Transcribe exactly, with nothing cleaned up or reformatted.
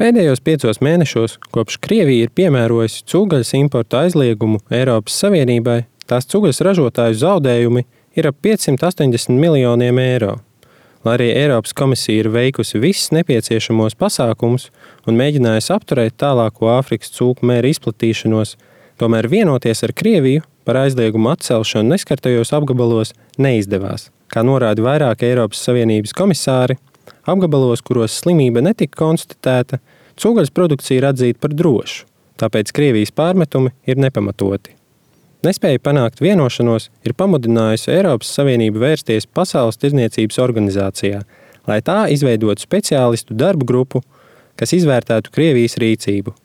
Pēdējos piecos mēnešos, kopš Krievija ir piemērojusi cūgaļas importa aizliegumu Eiropas Savienībai, tās cūgaļas ražotāju zaudējumi ir ap piecsimt astoņdesmit miljoniem eiro. Lai arī Eiropas komisija ir veikusi visus nepieciešamos pasākumus un mēģinājusi apturēt tālāko Āfrikas cūku mēra izplatīšanos, tomēr vienoties ar Krieviju par aizliegumu atcelšanu neskartajos apgabalos neizdevās. Kā norāda vairāki Eiropas Savienības komisāri, apgabalos, kuros slimība netika konstatēta, cūgaļas produkcija ir atzīta par drošu, tāpēc Krievijas pārmetumi ir nepamatoti. Nespēja panākt vienošanos ir pamudinājusi Eiropas Savienību vērsties Pasaules tirdzniecības organizācijā, lai tā izveidotu speciālistu darba grupu, kas izvērtētu Krievijas rīcību.